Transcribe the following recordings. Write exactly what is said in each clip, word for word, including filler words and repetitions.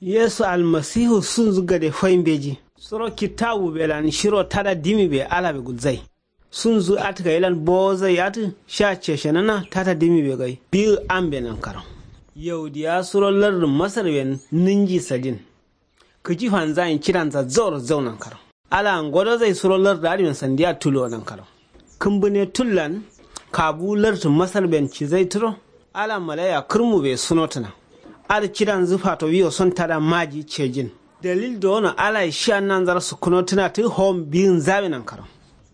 Yesu almasihu sunzu gade fai mbeji. Suro kitawu belan shiro tada dimi be alabe gulzai. Sunzu atǝ gailan bowozai atǝ sha ceshenǝna tada dimi be gai biyu ambe nankaro. Yaudiya suro lardǝ masar ben ninji sadin. Kǝji fanzayin cidanza zauro zau nankaro. Ala ngodozai suro lardǝ adǝ ben sandiya tuluwo nankaro. Kǝmbǝne tullan kabu lardǝ masar ben cizai turo. Ala malaiya kǝrmu be sunotǝna. Adǝ cidanzǝ fato wiyo son tada maji cejin. Dalil dowono alaye shiya nanzaro sukkunotǝna tǝ hom biyinza be nankaro.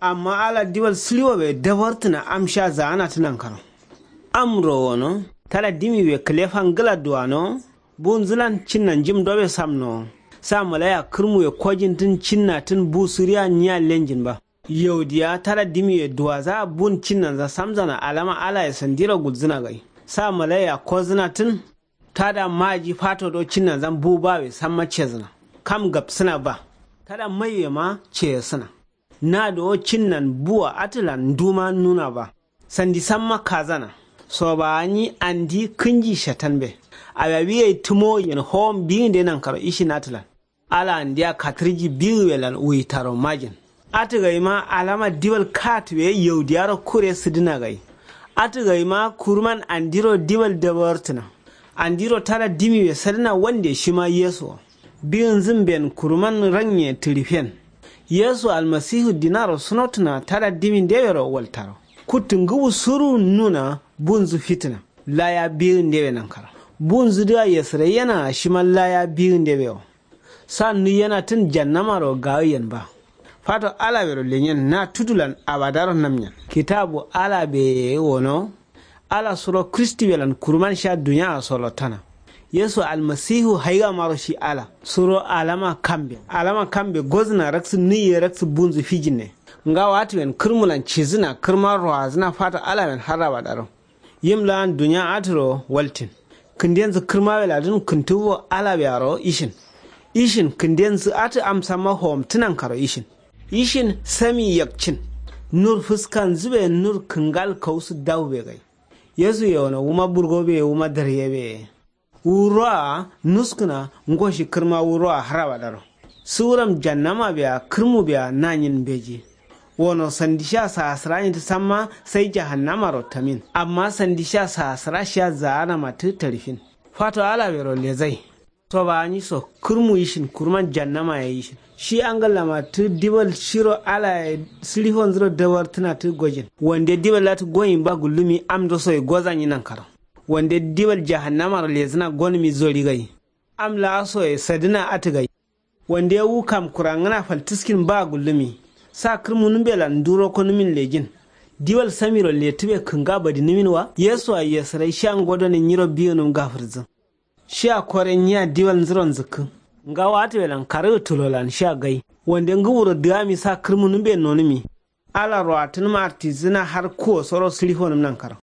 Amma ala diwal sǝliwo be dabartǝna am sha zaanatǝ nankaro. Amro wono tada dimi be kǝlefa ngǝla duwano. Bunzǝlan cinna njim dobe samno. Sa malaiya kǝrmu be kojintǝn cinnatǝn bu sǝriya nyiya lenjin ba. Yaudiya tada dimi ye duwaza bun cinnanza samzana alama alaye sandiro gulzǝna gai. Sa malaiya kozǝnatǝn. Tada maji fato do cinnanzan bu bawe samma cezǝna. Kam gabsǝna ba. Tada maiwe ma ceyesǝna. Na do cinnan buwa atǝlan nduma nuna ba. Sandi samma kazana. Sobawa nyi andi kǝnji shatan be. Awiya wiye tǝmo yen howom biyinde nankaro ishin atǝlan. Ala andiya katǝrji biyu welan wuyitaro majin. Atǝ gaima alama dibal katǝ we yaudiyaro kure sǝdǝna gai. Atǝ gaima kuruman andiro dibal dabartǝna. Andiro tada dimi we sadǝna wande shima yesu wo. Biyunzǝn ben kuruman ranye tǝrifen. Yesu almasihu dinaro sunotǝna tada dimi ndewero waltaro. Kuttǝ ngǝwu suru nuna bunzǝ fitǝna. Laya biyu ndewe nankaro. Bunzǝ dǝa yesǝraiyena shima laya biyu ndewe wo. Sa nuyenatǝn jannamaro gawiyen ba. Fato alabero lenyen na tudulan abadaro namnyen. Kitabu alabe wono. Ala suro kristiwelan kuruman sha duniya solottana. Yesu almasihu haigamaro shi ala suro alama kambe alama kambe gozǝna raksǝ nuye raksǝ bunzǝ fijinne. Ngawo atǝwen kǝrmulan cizǝna kǝrma roazǝna fato alawen har abadaro. Yim la'an duniya atǝro waltin. Kǝndenzǝ kǝrmaweladǝn kǝntǝwwo alabearo ishin. Ishin kǝndenzǝ atǝ amsamma howomtǝnankaro ishin. Ishin sami yakcin. Nur fǝskanzǝbe nur kǝngal kausǝ daubegai. Yesu yewono wuma burgobeye wuma daryebeye. Wu roa nuskǝna. Ngoshi kǝrma wu roa har abadaro. Suwuram jannama beya kǝrmu beya nanyin mbeji. Wono sandi sha sahasǝra nyi tǝ samma sai jahannamaro tamin amma sandi sha sahasǝra shiya zaanama tǝ tarifin. Fato alabero lezai. Sobawa nyi so kǝrmu ishin kuruman jannama ye ishin. Shi angallama tǝ dibal shiro alaye sǝlifonzuro dawartǝna tǝ gojin. Wande dibal latǝ goyin ba gullumi amdo soye gozanyi nankaro. Wande dibal jahannamaro lezǝna gonǝmi zori gai. Am la'asoye sadǝna atǝ gai. Wande wu kam kurangǝna faltǝskin ba gullǝmi. Sa kǝrmunǝmbelan ndu roko nǝmin lejin. Diwal samiro letǝbe kǝnga badinǝmin wa yesu a yesǝrai shiya ngo done nyiro biyonǝm gafǝrǝzǝ. Shiya kore nyiya diwal nzǝron zǝkkǝ. Ngawo atǝbelan karǝgǝ tulolan shiya gai. Wande ngǝwuro dǝgami sa kǝrmunǝmbe nonǝmi. Ala roatǝnǝm artizǝna har kuwo soro sǝlifonǝm nankaro.